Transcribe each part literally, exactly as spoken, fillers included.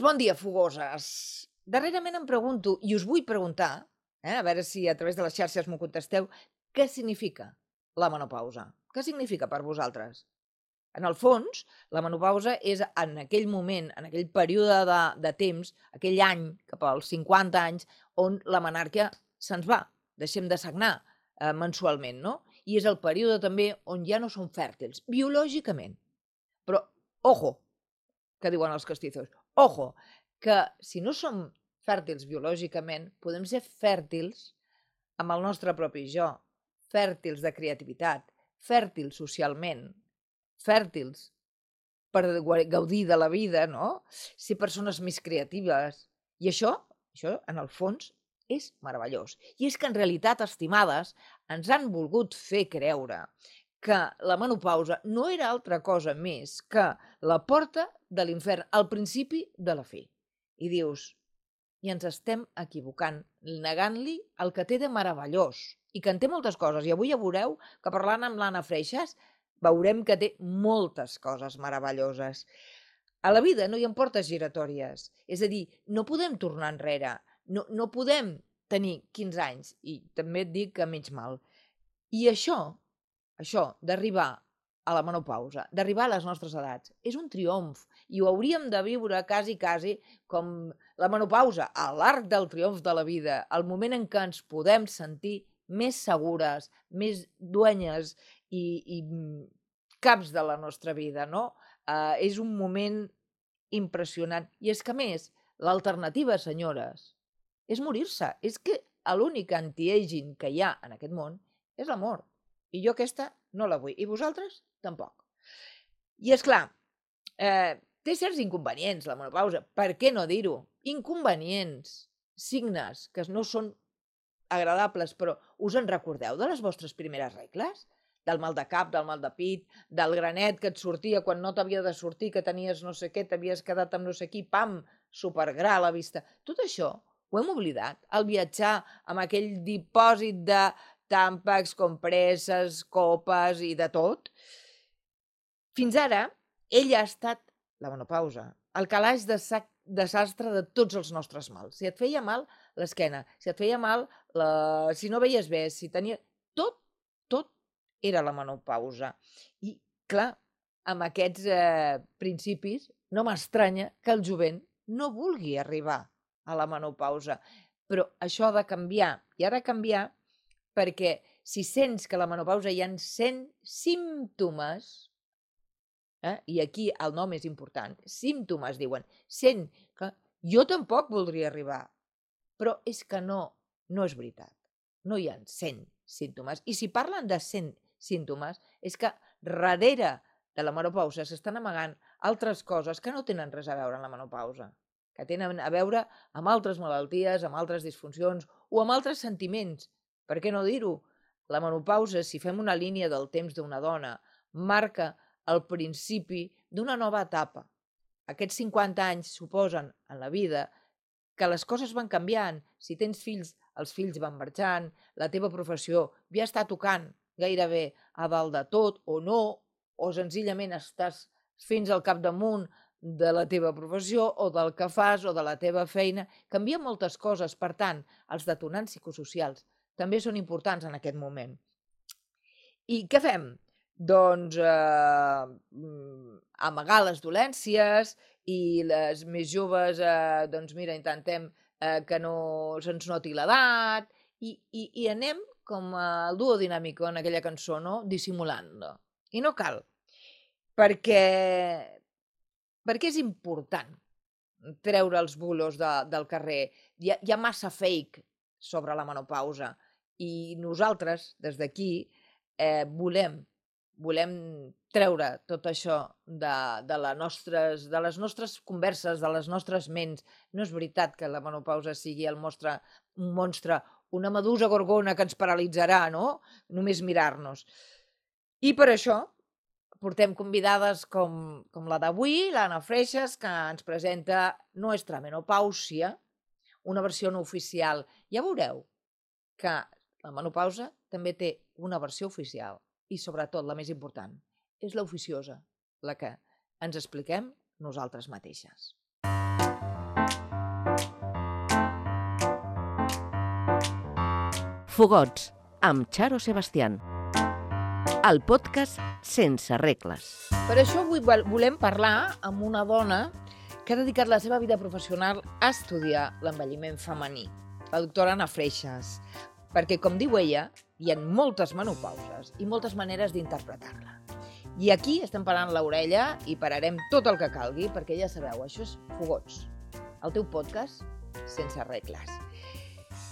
Bon dia, fogoses. Darrerament em pregunto, i us vull preguntar, eh, a veure si a través de les xarxes m'ho contesteu, què significa la menopausa? Què significa per vosaltres? En el fons, la menopausa és en aquell moment, en aquell període de, de temps, aquell any, cap als cinquanta anys, on la menàrquia se'ns va, deixem de sagnar eh, mensualment, no? I és el període també on ja no som fèrtils, biològicament. Però, ojo, que diuen els castizos. Ojo, que si no som fèrtils biològicament, podem ser fèrtils amb el nostre propi jo, fèrtils de creativitat, fèrtils socialment, fèrtils per gaudir de la vida, no? Ser persones més creatives. I això, això en el fons, és meravellós. I és que en realitat, estimades, ens han volgut fer creure que la menopausa no era altra cosa més que la porta de l'infern, al principi de la fi. I dius, i ens estem equivocant, negant-li el que té de meravellós, i que en té moltes coses. I avui ja veureu que parlant amb l'Anna Freixas veurem que té moltes coses meravelloses. A la vida no hi ha portes giratòries, és a dir, no podem tornar enrere, no, no podem tenir quinze anys, i també et dic que menys mal. I això, això d'arribar a la menopausa, d'arribar a les nostres edats, és un triomf, i ho hauríem de viure quasi, quasi com la menopausa, a l'arc del triomf de la vida, el moment en què ens podem sentir més segures, més duenyes i, i caps de la nostra vida, no? Uh, és un moment impressionant. I és que, a més, l'alternativa, senyores, és morir-se. És que l'únic anti-aging que hi ha en aquest món és la mort. I jo aquesta no la vull. I vosaltres, tampoc. I, és clar, eh, té certs inconvenients, la menopausa. Per què no dir-ho? Inconvenients, signes que no són agradables, però us en recordeu de les vostres primeres regles? Del mal de cap, del mal de pit, del granet que et sortia quan no t'havia de sortir, que tenies no sé què, t'havies quedat amb no sé qui, pam, supergra a la vista. Tot això ho hem oblidat, al viatjar amb aquell dipòsit de tàmpacs, compreses, copes i de tot. Fins ara, ella ha estat, la menopausa, el calaix de sac desastre de tots els nostres mals. Si et feia mal l'esquena, si et feia mal, la... si no veies bé, si tenia... Tot, tot era la menopausa. I, clar, amb aquests eh, principis, no m'estranya que el jovent no vulgui arribar a la menopausa. Però això ha de canviar, i ha de canviar perquè si sents que a la menopausa hi ha cent símptomes, eh, i aquí el nom és important, símptomes, diuen, sent que jo tampoc voldria arribar, però és que no, no és veritat. No hi ha cent símptomes. I si parlen de cent símptomes, és que darrere de la menopausa s'estan amagant altres coses que no tenen res a veure amb la menopausa, que tenen a veure amb altres malalties, amb altres disfuncions o amb altres sentiments. Per què no dir-ho? La menopausa, si fem una línia del temps d'una dona, marca el principi d'una nova etapa. Aquests cinquanta anys suposen en la vida que les coses van canviant. Si tens fills, els fills van marxant, la teva professió ja està tocant gairebé a dalt de tot o no, o senzillament estàs fins al capdamunt de la teva professió o del que fas o de la teva feina. Canvien moltes coses, per tant, els detonants psicosocials també són importants en aquest moment. I què fem? Doncs eh, amagar les dolències i les més joves, eh, doncs mira, intentem eh, que no se'ns noti l'edat i, i, i anem com el duo dinàmico en aquella cançó, no? Dissimulant-lo. I no cal, perquè, perquè és important treure els bulos de, del carrer. Hi ha, hi ha massa fake sobre la menopausa i nosaltres, des d'aquí, eh, volem volem treure tot això de, de, la nostres, de les nostres converses, de les nostres ments. No és veritat que la menopausa sigui el monstre, un monstre, una medusa gorgona que ens paralitzarà, no? Només mirar-nos. I per això portem convidades com, com la d'avui, l'Anna Freixas, que ens presenta Nuestra Menopausia, una versió no oficial. Ja veureu que la menopausa també té una versió oficial. I, sobretot, la més important, és l'oficiosa, la que ens expliquem nosaltres mateixes. Fogots, amb Charo Sebastián. El podcast sense regles. Per això avui volem parlar amb una dona que ha dedicat la seva vida professional a estudiar l'envelliment femení, la doctora Anna Freixas, perquè, com diu ella, hi ha moltes menopauses i moltes maneres d'interpretar-la. I aquí estem parant l'orella i pararem tot el que calgui, perquè ja sabeu, això és Fogots, el teu podcast sense regles.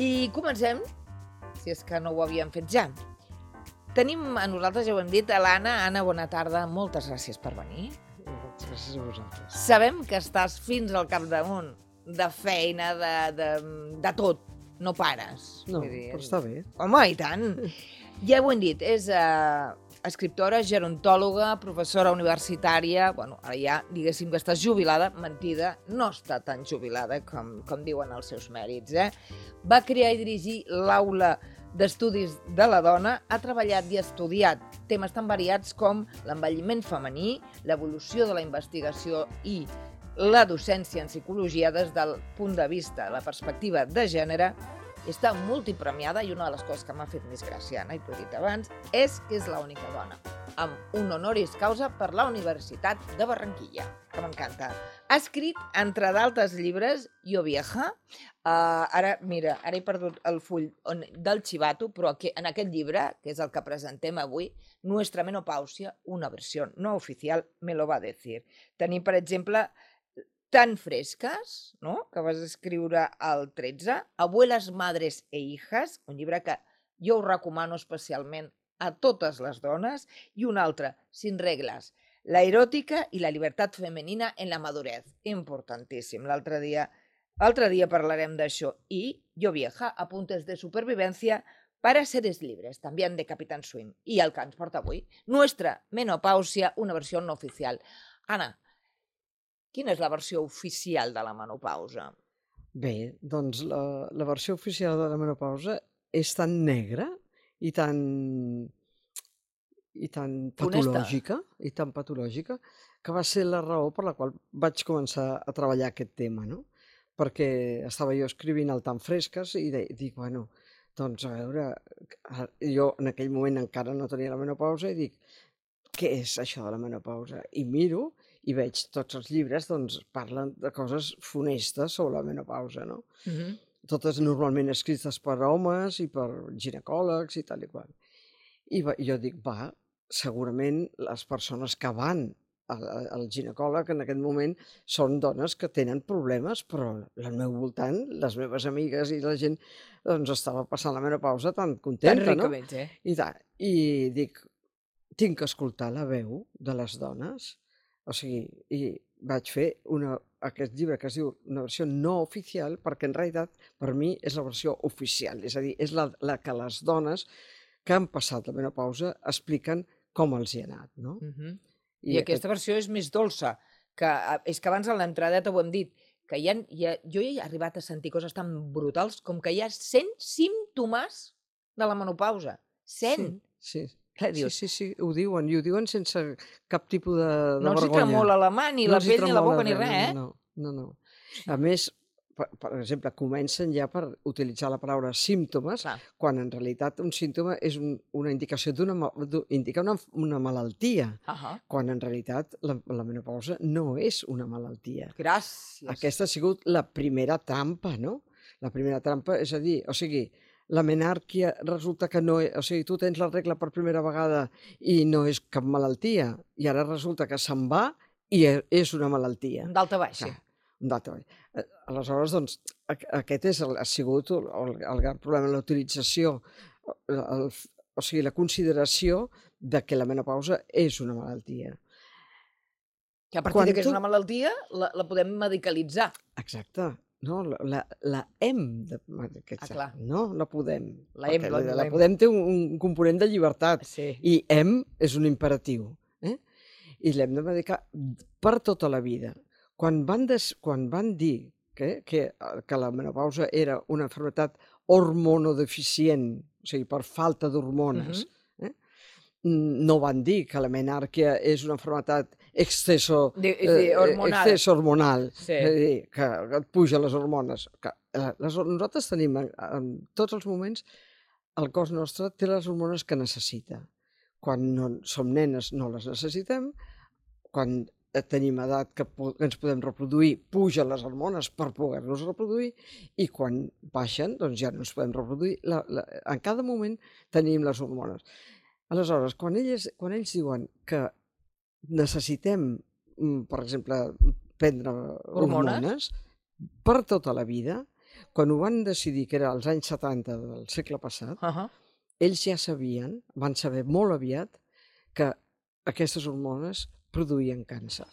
I comencem, si és que no ho havíem fet ja. Tenim a nosaltres, ja ho hem dit, a l'Anna. Anna, bona tarda, moltes gràcies per venir. Gràcies a vosaltres. Sabem que estàs fins al capdamunt de feina, de, de, de tot, no pares. No, Vull dir, però està bé. Home, i tant! Ja ho hem dit, és uh, escriptora, gerontòloga, professora universitària, bueno, ara ja diguéssim que estàs jubilada, mentida, no està tan jubilada com, com diuen els seus mèrits, eh? Va crear i dirigir l'Aula d'Estudis de la Dona, ha treballat i estudiat temes tan variats com l'envelliment femení, l'evolució de la investigació i la docència en psicologia des del punt de vista, la perspectiva de gènere. Està multipremiada i una de les coses que m'ha fet més gràcia, Anna, i t'ho he dit abans, és que és l'única dona amb un honoris causa per la Universitat de Barranquilla, que m'encanta. Ha escrit, entre d'altres llibres, Jo Vieja, uh, ara, mira, ara he perdut el full on, del xivato, però aquí, en aquest llibre, que és el que presentem avui, Nuestra menopausia, una versió no oficial, me lo va decir. Tenim, per exemple, Tan fresques, no?, que vas escriure al tretze, Abuelas, madres e hijas, un llibre que jo ho recomano especialment a totes les dones, i un altre, Sin regles, la eròtica i la llibertat femenina en la madurez, importantíssim. L'altre dia, l'altre dia parlarem d'això. I Jo Vieja, apuntes de supervivencia para seres libres, també de Capitán Swing. I el que ens porta avui, Nuestra menopausia, una versió no oficial. Anna, quina és la versió oficial de la menopausa? Bé, doncs la, la versió oficial de la menopausa és tan negra i tan, i tan patològica, i tan patològica, que va ser la raó per la qual vaig començar a treballar aquest tema, no? Perquè estava jo escrivint el Tan fresques i de, dic, bueno, doncs a veure, jo en aquell moment encara no tenia la menopausa i dic, què és això de la menopausa? I miro i veig tots els llibres, doncs parlen de coses funestes sobre la menopausa, no? Uh-huh. Totes normalment escrites per homes i per ginecòlegs i tal i qual. I va, jo dic, va, segurament les persones que van al, al ginecòleg en aquest moment són dones que tenen problemes, però al meu voltant, les meves amigues i la gent, doncs estava passant la menopausa tan contenta, tan no? Ricament, eh? I, ta, I dic, tinc que escoltar la veu de les dones. O sigui, i vaig fer una, aquest llibre que es diu una versió no oficial, perquè en realitat per mi és la versió oficial, és a dir, és la, la que les dones que han passat la menopausa expliquen com els hi ha anat, no? Uh-huh. I, I aquesta aquest... versió és més dolça, que és que abans a l'entradeta ho hem dit, que hi ha, hi ha, jo he arribat a sentir coses tan brutals com que hi ha cent símptomes de la menopausa. cent! Sí, sí. Sí, sí, sí, ho diuen, i ho diuen sense cap tipus de, de no vergonya. No els hi tremola la mà, ni no la pell, ni la boca, ni res, eh? No, no, no. A més, per, per exemple, comencen ja per utilitzar la paraula símptomes, Clar. Quan en realitat un símptoma és un, una indicació d'una indica una, una malaltia, uh-huh. Quan en realitat la, la menopausa no és una malaltia. Gràcies. Aquesta ha sigut la primera trampa, no? La primera trampa, és a dir, o sigui, la menàrquia resulta que no... O sigui, tu tens la regla per primera vegada i no és cap malaltia, i ara resulta que se'n va i és una malaltia. Un d'alta baixa. Un d'alta baixa. Aleshores, doncs, aquest és el, ha sigut el, el gran problema, la utilització, el, o sigui, la consideració de que la menopausa és una malaltia. Que a partir Quan de que és tu... una malaltia, la, la podem medicalitzar. Exacte. No, la, la hem de medicalitzar, ah, no? La podem. La hem, la, la, la podem té un, un component de llibertat, sí. I hem és un imperatiu, eh? I l'hem de medicar per tota la vida. Quan van, des, quan van dir que, que, que la menopausa era una malaltia hormonodeficient, o sigui, per falta d'hormones, uh-huh. eh? No van dir que la menàrquia és una malaltia exceso, De, eh, de hormonal. exceso hormonal, Sí. és a dir, que et pugen les hormones. Que, eh, les, nosaltres tenim en, en tots els moments, el cos nostre té les hormones que necessita. Quan no, som nenes no les necessitem, quan tenim edat que, po que ens podem reproduir, pugen les hormones per poder-nos reproduir, i quan baixen, doncs ja no ens podem reproduir. La, la, en cada moment tenim les hormones. Aleshores, quan ells, quan ells diuen que necessitem, per exemple, prendre Hormones? hormones per tota la vida, quan ho van decidir, que era als anys setanta del segle passat, Uh -huh. ells ja sabien, van saber molt aviat, que aquestes hormones produïen càncer.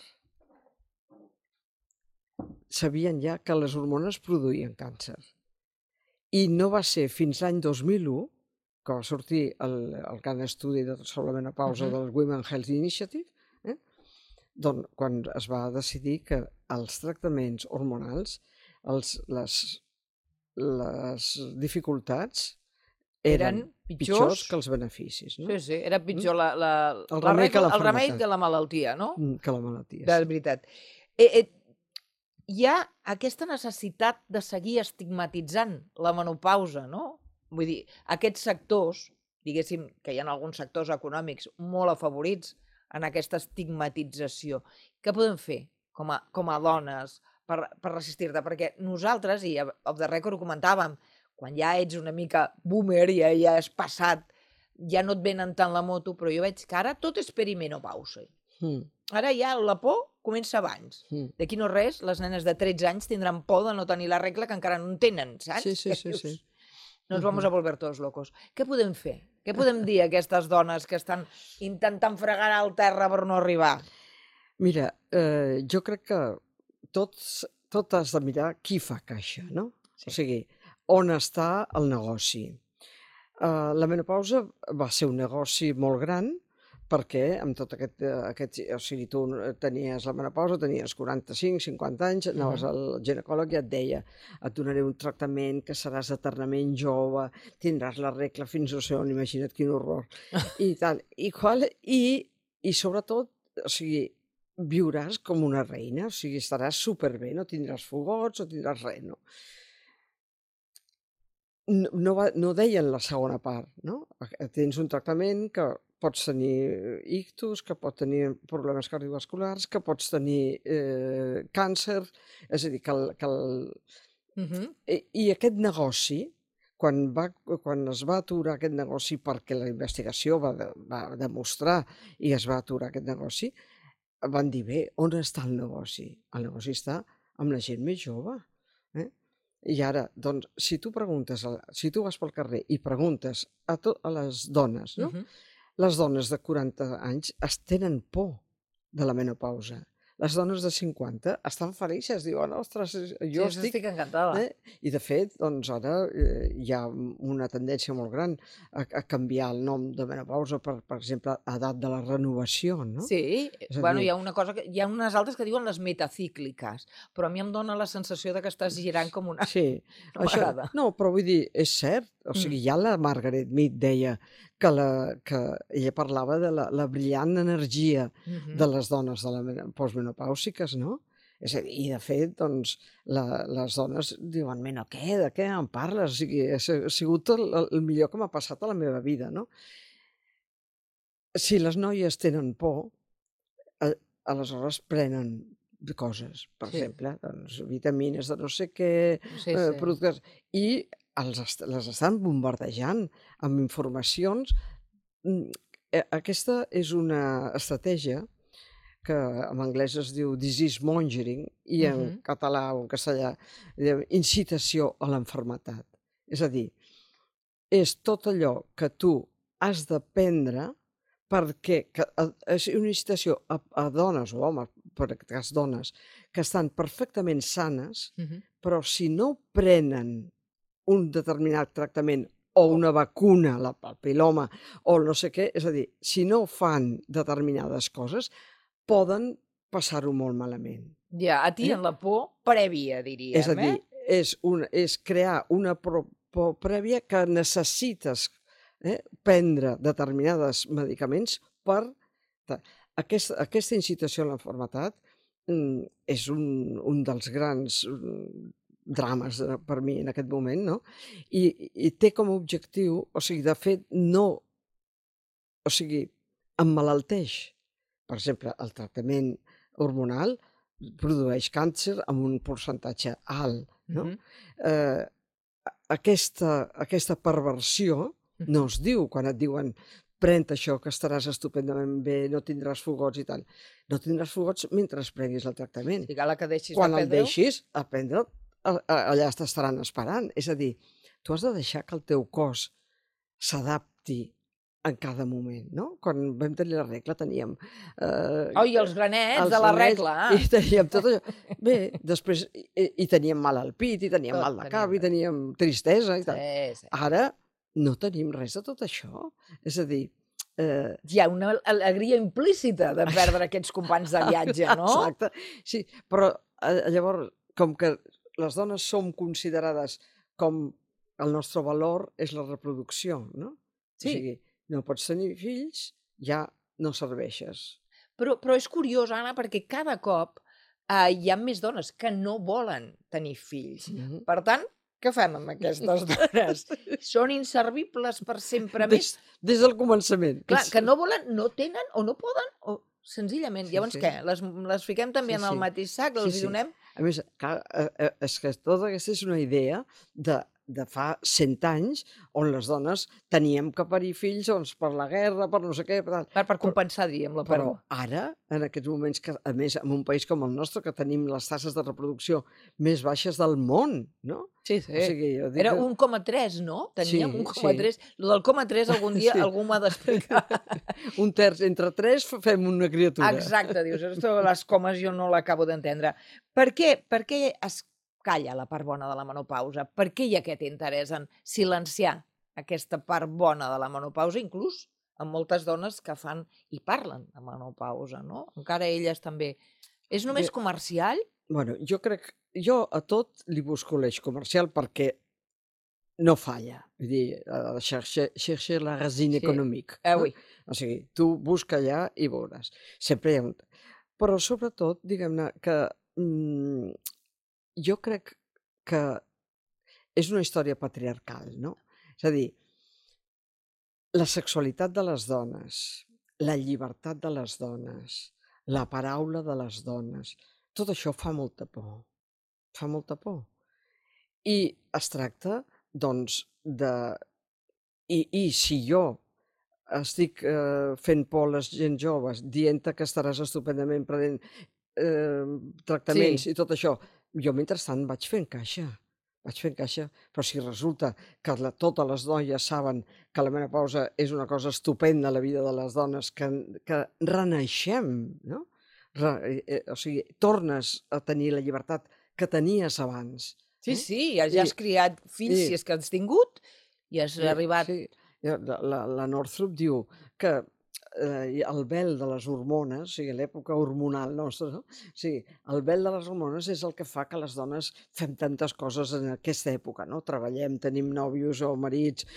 Sabien ja que les hormones produïen càncer. I no va ser fins l'any dos mil u que va sortir el, el gran estudi de, sobre la menopausa Uh -huh. del Women Health Initiative, eh? doncs, quan es va decidir que els tractaments hormonals, els, les, les dificultats eren, Eren pitjors, pitjors que els beneficis. No? Sí, sí, era pitjor la, la, El la remei que la regla, el remei malaltia. que la malaltia, no? Mm, Que la malaltia. De Sí. veritat. Eh, eh, hi ha aquesta necessitat de seguir estigmatitzant la menopausa, no? Vull dir, aquests sectors, diguéssim que hi ha alguns sectors econòmics molt afavorits en aquesta estigmatització. Què podem fer com a, com a dones per, per resistir-te? Perquè nosaltres, i off the record ho comentàvem, quan ja ets una mica boomer, ja, ja has passat, ja no et venen tant la moto, però jo veig que ara tot és perimenopausa. Mm. Ara ja la por comença abans. Mm. D'aquí no res, les nenes de tretze anys tindran por de no tenir la regla que encara no en tenen, saps? Sí, sí, Què sí, dius? sí. Nos vamos a volver todos locos. Què podem fer? Què podem dir a aquestes dones que estan intentant fregar al terra per no arribar? Mira, eh, jo crec que tots, tot has de mirar qui fa caixa, no? Sí. O sigui, on està el negoci. Uh, la menopausa va ser un negoci molt gran, perquè amb tot aquest, aquest... O sigui, tu tenies la menopausa, tenies quaranta-cinc, cinquanta anys, anaves Mhm. al ginecòleg i et deia et donaré un tractament que seràs eternament jove, tindràs la regla fins no sé on, imagina't quin horror, i tal. I, qual, i, i sobretot, o sigui, viuràs com una reina, o sigui, estaràs superbé, no tindràs fogots, no tindràs res, no? No, no, va, no deien la segona part, no? Tens un tractament que pots tenir ictus, que pot tenir problemes cardiovasculars, que pots tenir eh, càncer, és a dir, que, el, que el... Mhm. I, i aquest negoci, quan, va, quan es va aturar aquest negoci perquè la investigació va, de, va demostrar i es va aturar aquest negoci, van dir, bé, on està el negoci? El negoci està amb la gent més jove. Eh? I ara, doncs, si tu preguntes, a, si tu vas pel carrer i preguntes a, to, a les dones, no? Mhm. Les dones de quaranta anys es tenen por de la menopausa. Les dones de cinquanta estan felices, diuen, ostres, jo Sí, estic... estic encantada. Eh? I de fet, doncs ara eh, hi ha una tendència molt gran a, a canviar el nom de menopausa per, per exemple, edat de la renovació, no? Sí, És a bueno, dir- hi ha una cosa que, hi ha unes altres que diuen les metacícliques, però a mi em dona la sensació de que estàs girant com una... Sí, No això, m'agrada. no, però vull dir, és cert, o sigui, ja la Margaret Mead deia que, la, que ella parlava de la, la brillant energia Mhm. de les dones de la mena- postmenopàusiques, no? És a dir, i de fet, doncs, la, les dones diuen, mena, què, de què em parles? O sigui, ha si- ha sigut el, el millor que m'ha passat a la meva vida, no? Si les noies tenen por, a, aleshores prenen coses, per Sí. exemple, doncs, vitamines de no sé què, Sí, eh, sí. productes, i els, est- les estan bombardejant amb informacions. Mm, eh, Aquesta és una estratègia que en anglès es diu disease mongering i en Mhm. català o en castellà diu incitació a l'enfermetat. És a dir, és tot allò que tu has d'aprendre perquè que, a, és una incitació a, a dones o homes, per aquest cas dones, que estan perfectament sanes, Mhm. però si no prenen un determinat tractament o una vacuna, la papiloma, o no sé què, és a dir, si no fan determinades coses, poden passar-ho molt malament. Ja, a ti Eh? en la por prèvia, diríem, És a dir, eh? és, un, és crear una por, por prèvia que necessites eh, prendre determinats medicaments per... ta- aquest, aquesta incitació a la malaltia és un, un dels grans drames per mi en aquest moment, no? I, i té com a objectiu, o sigui, de fet, no, o sigui, emmalalteix. Per exemple, el tractament hormonal produeix càncer amb un percentatge alt, no? Mm-hmm. eh, aquesta, aquesta perversió mm-hmm. no es diu quan et diuen pren això que estaràs estupendament bé, no tindràs fogots i tal. No tindràs fogots mentre prenguis el tractament. Sí, que deixis quan de el deixis, a prendre'l, allà t'estaran esperant. És a dir, tu has de deixar que el teu cos s'adapti en cada moment, no? Quan vam tenir la regla teníem... Eh, oh, i els granets els de la regla! I teníem tot allò. Bé, després i, i teníem mal al pit, i teníem tot mal de cap, teníem... i teníem tristesa i tal. Sí, sí. Ara no tenim res de tot això. És a dir... Eh... Hi ha una alegria implícita de perdre aquests companys de viatge, no? Exacte. Sí, però eh, llavors, com que les dones som considerades com el nostre valor és la reproducció, no? Sí. O sigui, no pots tenir fills, ja no serveixes. Però, però és curiós, Anna, perquè cada cop eh, hi ha més dones que no volen tenir fills. Mm-hmm. Per tant, què fem amb aquestes dones? Són inservibles per sempre més? Des, des del començament. Clar, que no volen, no tenen o no poden, o senzillament. Sí, llavors sí. Què? Les, les fiquem també sí, en el sí. mateix sac? Els sí, hi donem? Sí. A més, clar, és que tota aquesta és una idea de de fa cent anys, on les dones teníem que parir fills doncs, per la guerra, per no sé què... Per, per, per compensar, diríem, la pèrdua. Però ara, en aquests moments, que a més, en un país com el nostre, que tenim les tasses de reproducció més baixes del món, no? Sí, sí. O sigui, jo dic Era que... un coma tres, no? Teníem sí, un coma tres. Sí. Lo del coma tres algun dia sí. algú m'ha d'explicar. Un terç entre tres fem una criatura. Exacte, dius, esto, les comes jo no l'acabo d'entendre. Per què? Per què es calla la part bona de la menopausa? Per què hi ha aquest interès en silenciar aquesta part bona de la menopausa, inclús amb moltes dones que fan i parlen de menopausa, no? Encara elles també. És només comercial? Bueno, jo crec... Jo a tot li busco l'eix comercial perquè no falla. Vull dir, chercher, chercher la racine sí. économique. Eh, oui. No? O sigui, tu busca allà i veuràs. Sempre hi ha un... Però sobretot, diguem-ne, que... Mmm, jo crec que és una història patriarcal, no? És a dir, la sexualitat de les dones, la llibertat de les dones, la paraula de les dones, tot això fa molta por. Fa molta por. I es tracta, doncs, de... I, i si jo estic eh, fent por a les gent joves, dient que estaràs estupendament prenent eh, tractaments sí. i tot això, jo mentrestant vaig fent caixa, vaig fent caixa, però si resulta que la, totes les noies saben que la menopausa és una cosa estupenda a la vida de les dones, que, que renaixem, no? Re, eh, o sigui, tornes a tenir la llibertat que tenies abans. Sí, eh? Sí, ja, ja has I, criat fills, i, si és que has tingut, i has i, arribat... Sí. La, la, la Northrop diu que eh, el vel de les hormones, o sigui, l'època hormonal nostra, no? O sigui, el vel de les hormones és el que fa que les dones fem tantes coses en aquesta època, no? Treballem, tenim nòvios o marits,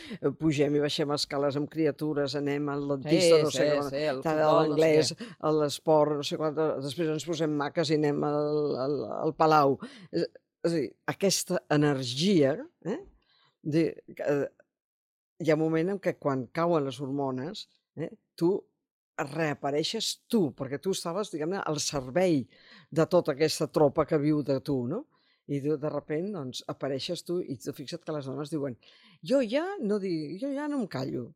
pugem i baixem escales amb criatures, anem al dentista, sí, no sé sí, sí, l'anglès, no sé a l'esport, no sé quant, després ens posem maques i anem al, al, al palau. És, és a dir, aquesta energia, eh? De, eh, hi ha un moment en què quan cauen les hormones, eh, tu reapareixes tu, perquè tu estaves, diguem-ne, al servei de tota aquesta tropa que viu de tu, no? I de, de repent, doncs, apareixes tu i tu fixa't que les dones diuen jo ja no dic, jo ja no em callo,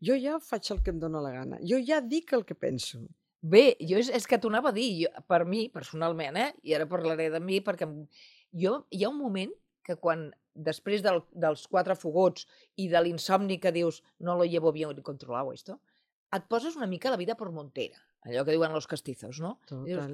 jo ja faig el que em dóna la gana, jo ja dic el que penso. Bé, jo és, és que t'ho anava a dir, jo, per mi, personalment, eh, i ara parlaré de mi, perquè jo, hi ha un moment que quan, després del, dels quatre fogots i de l'insomni que dius no lo llevo bien controlado esto, et poses una mica la vida per montera, allò que diuen los castizos, no? Dius,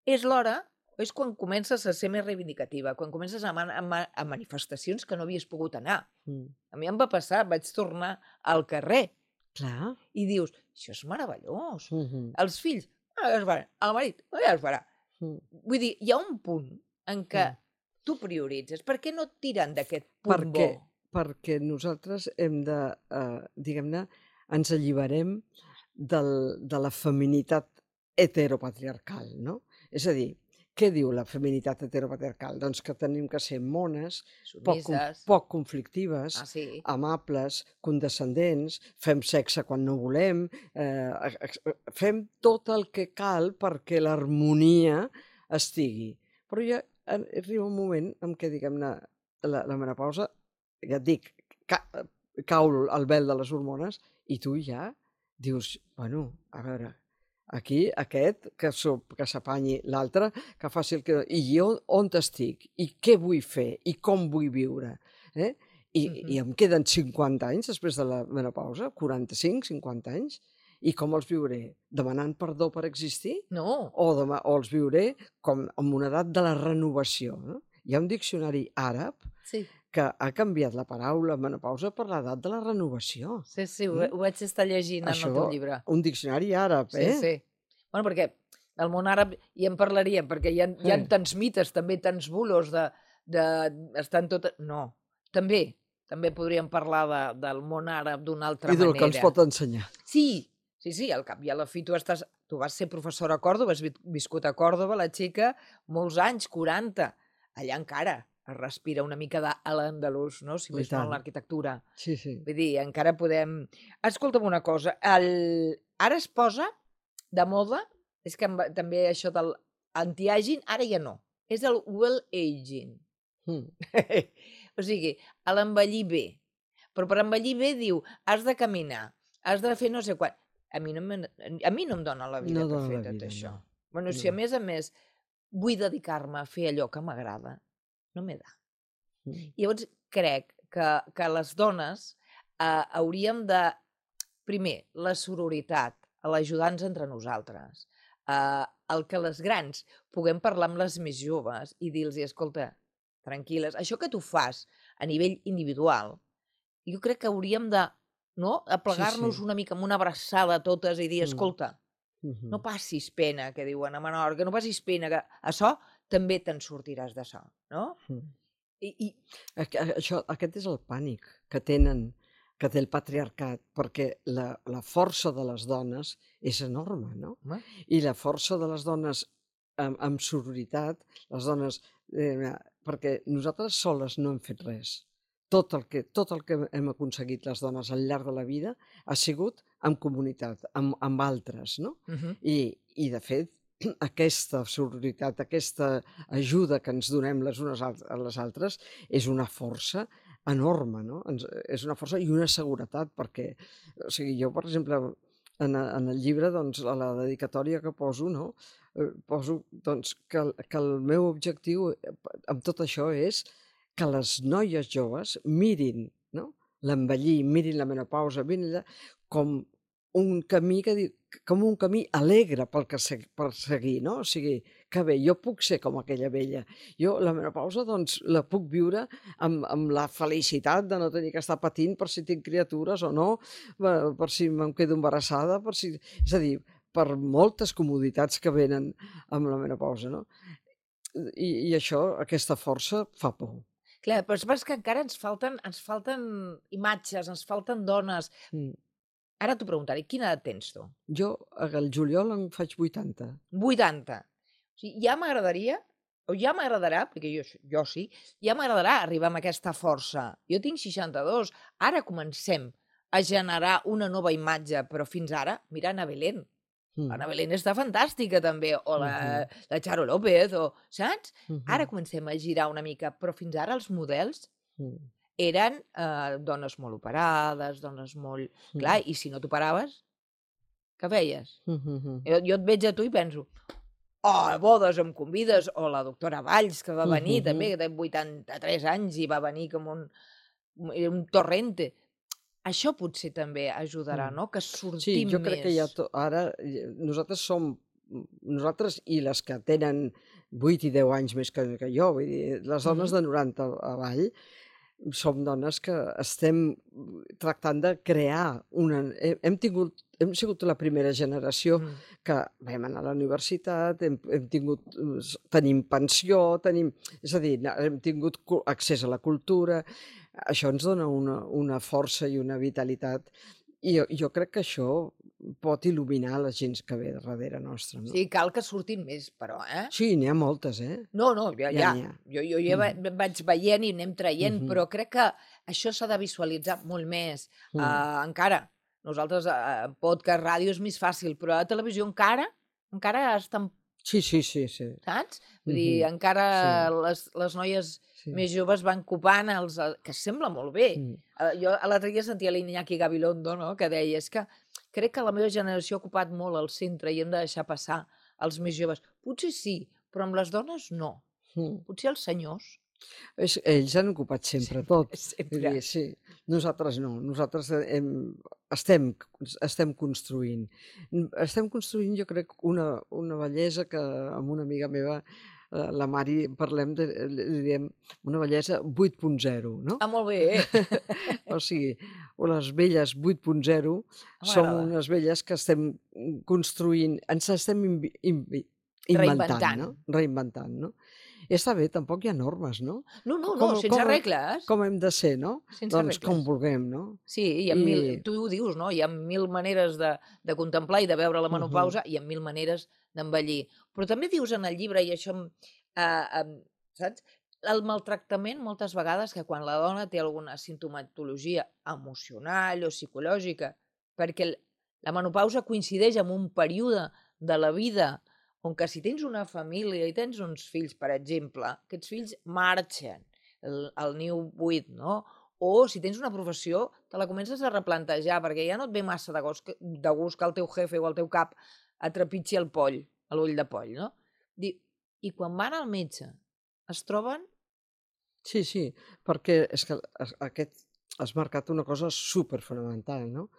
és l'hora, és quan comences a ser més reivindicativa, quan comences a, man, a, ma, a manifestacions que no havies pogut anar. Mm. A mi em va passar, vaig tornar al carrer. Clar. I dius, això és meravellós. Mm-hmm. Els fills, ah, ja es farà. El marit, ah, ja es farà. Mm. Vull dir, hi ha un punt en què mm. tu prioritzes. Per què no et tiren d'aquest punt perquè, bo? Perquè nosaltres hem de, eh, diguem-ne, ens alliberem del, de la feminitat heteropatriarcal, no? És a dir, què diu la feminitat heteropatriarcal? Doncs que tenim que ser mones, poc, Submises. poc conflictives, Ah, sí. amables, condescendents, fem sexe quan no volem, eh, fem tot el que cal perquè l'harmonia estigui. Però ja arriba un moment en què, diguem-ne, la, la menopausa, ja et dic, ca, cau el vel de les hormones i tu ja dius, bueno, a veure, aquí aquest que, que s'apanyi, l'altre que faci el que... I jo on estic? I què vull fer? I com vull viure? Eh? I, uh -huh. I em queden cinquanta anys després de la menopausa, quaranta-cinc, cinquanta anys, i com els viuré? Demanant perdó per existir? No. O, demà, o els viuré com en una edat de la renovació, no? Hi ha un diccionari àrab sí. que ha canviat la paraula menopausa per l'edat de la renovació. Sí, sí, ho, mm? ho vaig estar llegint Això, en el teu llibre. Un diccionari àrab, sí, eh? Sí, sí. Bueno, perquè del món àrab hi en parlaríem, perquè hi ha, hi ha eh. tants mites, també tants bulos de... de estan tot... No, també, també podríem parlar de, del món àrab d'una altra manera. I del que ens pot ensenyar. Sí, sí, sí, al cap i a la fi tu estàs... Tu vas ser professora a Còrdoba, has viscut a Còrdoba, la xica, molts anys, quaranta. Allà encara es respira una mica de l'andalús, no? Si més no en l'arquitectura. Sí, sí. Vull dir, encara podem... Escolta'm una cosa, el... ara es posa de moda, és que també això del anti-aging, ara ja no, és el well-aging. Mm. O sigui, l'envellir bé. Però per envellir bé diu, has de caminar, has de fer no sé quan... A mi no, me... a mi no em dona la vida no per fer vida, tot això. No. Bueno, si a més a més vull dedicar-me a fer allò que m'agrada, no m'he de. Mm. Llavors, crec que, que les dones eh, hauríem de, primer, la sororitat, l'ajudar-nos entre nosaltres, eh, el que les grans puguem parlar amb les més joves i dir-los, escolta, tranquil·les, això que tu fas a nivell individual, jo crec que hauríem de no? aplegar-nos sí, sí. una mica amb una abraçada totes i dir, escolta, mm. -hmm. no passis pena, que diuen a Menorca, no passis pena, que això també te'n sortiràs d'això, no? Mm. I, i... Això, aquest és el pànic que tenen, que té el patriarcat, perquè la, la força de les dones és enorme, no? Mm. I la força de les dones amb, amb sororitat, les dones... Eh, perquè nosaltres soles no hem fet res. Tot el, que, tot el que hem aconseguit les dones al llarg de la vida ha sigut en comunitat, amb, amb altres, no? Uh -huh. I, I, de fet, aquesta sororitat, aquesta ajuda que ens donem les unes a les altres és una força enorme, no? Ens, és una força i una seguretat, perquè, o sigui, jo, per exemple, en, en el llibre, doncs, a la dedicatòria que poso, no? Eh, poso, doncs, que, que el meu objectiu amb tot això és que les noies joves mirin, no? l'envellir, mirin la menopausa, mirin com un camí que com un camí alegre pel que se, per seguir, no? O sigui, que bé, jo puc ser com aquella vella. Jo la menopausa, doncs, la puc viure amb, amb la felicitat de no tenir que estar patint per si tinc criatures o no, per si em quedo embarassada, per si... És a dir, per moltes comoditats que venen amb la menopausa, no? I, i això, aquesta força, fa por. Clar, però és que encara ens falten, ens falten imatges, ens falten dones. Mm. Ara t'ho preguntaré, quina edat tens tu? Jo, al juliol en faig vuitanta. vuitanta. O sigui, ja m'agradaria, o ja m'agradarà, perquè jo, jo sí, ja m'agradarà arribar amb aquesta força. Jo tinc seixanta-dos, ara comencem a generar una nova imatge, però fins ara, mira Ana Belén. Mm. Ana Belén està fantàstica també, o la, uh -huh. la Charo López, o, saps? Uh -huh. Ara comencem a girar una mica, però fins ara els models uh -huh. eren eh, dones molt operades, dones molt... Uh -huh. Clar, i si no t'operaves, què feies? Uh -huh. jo, jo et veig a tu i penso, oh, a bodes em convides, o la doctora Valls, que va venir uh -huh. també, que té vuitanta-tres anys i va venir com un, un torrente. Això potser també ajudarà, no? Que sortim més. Sí, jo més. crec que ja to... ara nosaltres som, nosaltres i les que tenen vuit i deu anys més que, que jo, vull dir, les dones mm-hmm. de noranta avall, som dones que estem tractant de crear una... Hem tingut, hem sigut la primera generació mm. que vam anar a la universitat, hem, hem tingut, tenim pensió, tenim, és a dir, hem tingut accés a la cultura. Això ens dona una, una força i una vitalitat i jo, jo crec que això pot il·luminar la gent que ve darrere nostra. No? Sí, cal que surtin més, però, eh? Sí, n'hi ha moltes, eh? No, no, ja, Ja ja. n'hi ha. Jo, jo ja va- Mhm. vaig veient i anem traient, Mhm. però crec que això s'ha de visualitzar molt més. Mm. Uh, encara, nosaltres, uh, podcast, ràdio és més fàcil, però a televisió encara, encara estan, Sí, sí, sí, sí. saps? Vull dir, Mhm. encara Sí. les, les noies Sí. més joves van copant els... eh, que sembla molt bé. Mm. Uh, jo a l'altre dia sentia l'Iñaki Gabilondo, no?, que deia, és que crec que la meva generació ha ocupat molt el centre i hem de deixar passar els més joves. Potser sí, però amb les dones no. Mm. Potser els senyors. És, ells han ocupat sempre, tot. Sempre. Vull dir, sí. Nosaltres no. Nosaltres hem, estem, estem construint. Estem construint, jo crec, una, una bellesa que amb una amiga meva, eh, la Mari, parlem de, li diem una bellesa vuit punt zero, no? Ah, molt bé. O sigui, les velles vuit punt zero som M'agrada. unes velles que estem construint, ens estem invi, invi, inventant, Reinventant. no? Reinventant, no? I està bé, tampoc hi ha normes, no? No, no, no, Com- sense com- regles. Com hem de ser, no? Sense Doncs regles. com vulguem, no? Sí, hi ha I- mil, tu ho dius, no? Hi ha mil maneres de, de contemplar i de veure la Mhm. menopausa i hi ha mil maneres d'envellir. Però també dius en el llibre, i això, em- eh, em, saps? El maltractament, moltes vegades, que quan la dona té alguna sintomatologia emocional o psicològica, perquè el- la menopausa coincideix amb un període de la vida on que si tens una família i tens uns fills, per exemple, aquests fills marxen el, el niu buit, no? O si tens una professió, te la comences a replantejar, perquè ja no et ve massa de gust, que- de gust que el teu jefe o el teu cap et trepitgi el poll, l'ull de poll, no? Di- I quan van al metge, es troben... Sí, sí, perquè és que es- aquest has marcat una cosa superfonamental, no?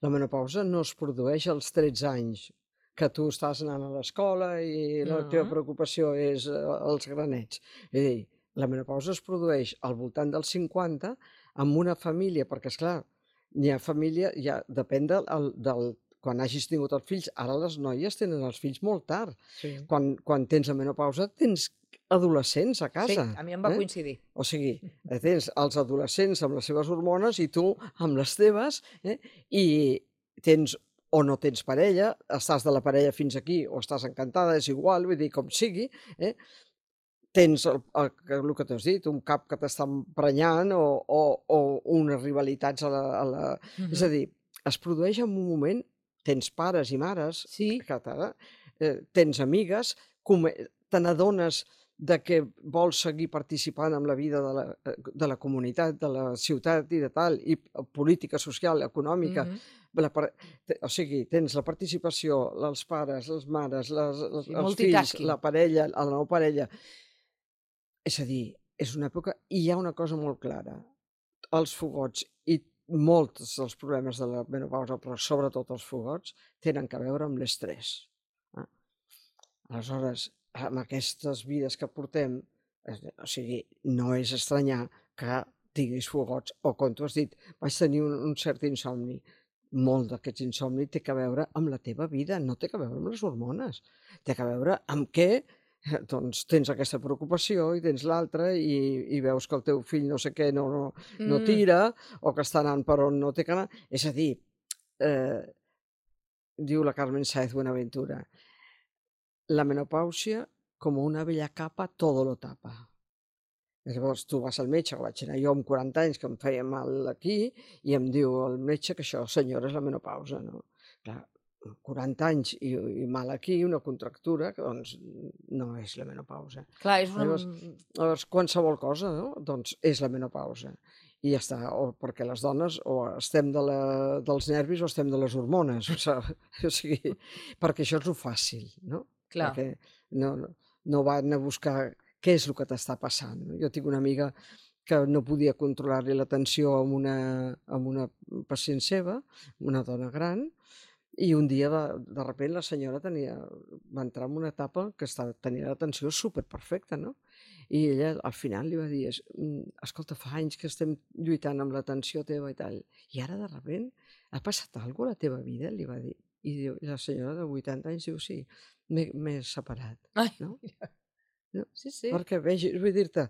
La menopausa no es produeix als tretze anys, que tu estàs anant a l'escola i la teva Mhm. preocupació és eh, els granets. És a dir, la menopausa es produeix al voltant dels cinquanta amb una família, perquè, és clar, n'hi ha família, ja depèn del, el- del, quan hagis tingut els fills. Ara les noies tenen els fills molt tard. Sí. Quan, quan tens la menopausa tens adolescents a Sí, casa. a mi em va eh? coincidir. O sigui, eh, tens els adolescents amb les seves hormones i tu amb les teves, eh? I tens o no tens parella, estàs de la parella fins aquí o estàs encantada, és igual, vull dir, com sigui, eh? Tens el, el, que- el que t'has dit, un cap que t'està emprenyant o, o, o unes rivalitats a la... A la... És a Mhm. dir, es produeix en un moment, tens pares i mares, Sí. que t'ha- eh, tens amigues, come- te n'adones de que vols seguir participant en la vida de la, eh, de la comunitat, de la ciutat i de tal, i p- política, social, econòmica. Mhm. La, par- te- o sigui, tens la participació, els pares, les mares, les, els, Sí, els fills, multitasking. la parella, la nova parella. És a dir, és una època... I hi ha una cosa molt clara. Els fogots i molts dels problemes de la menopausa, però sobretot els fogots, tenen a veure amb l'estrès. eh? Aleshores, amb aquestes vides que portem, es- o sigui, no és estranyar que tinguis fogots, o com tu has dit, vaig tenir un, un cert insomni. Molt d'aquests insomni té a veure amb la teva vida, no té a veure amb les hormones. Té a veure amb què eh, doncs, tens aquesta preocupació i tens l'altra i, i veus que el teu fill no sé què no, no, no Mm. tira o que està anant per on no té que anar. És a dir, eh, diu la Carmen Sáez Buenaventura, la menopàusia, com una vella capa, todo lo tapa. I llavors tu vas al metge, que vaig anar jo amb quaranta anys, que em feia mal aquí, i em diu el metge que això, senyora, és la menopausa, no? Clar, quaranta anys i, i mal aquí, una contractura, que doncs no és la menopausa. Clar, és una... Llavors, llavors qualsevol cosa, no? Doncs és la menopausa. I ja està, o perquè les dones o estem de la, dels nervis o estem de les hormones, o sigui, o sigui, perquè això és el fàcil, no? Clar. Perquè no, no, no van a buscar què és el que t'està passant. no? Jo tinc una amiga que no podia controlar-li la tensió amb una, amb una pacient seva, una dona gran, i un dia, de, de repente, la senyora tenia, va entrar en una etapa que estava, tenia la tensió superperfecta, no? I ella al final li va dir, es- "Mm, escolta, fa anys que estem lluitant amb la tensió teva i tal, i ara de sobte ha passat alguna cosa a la teva vida?" li va dir. I, diu, i la senyora de vuitanta anys diu, sí, m'he m'he separat. Ai, No? mira. No? Sí, sí. Perquè vegi, vull dir-te,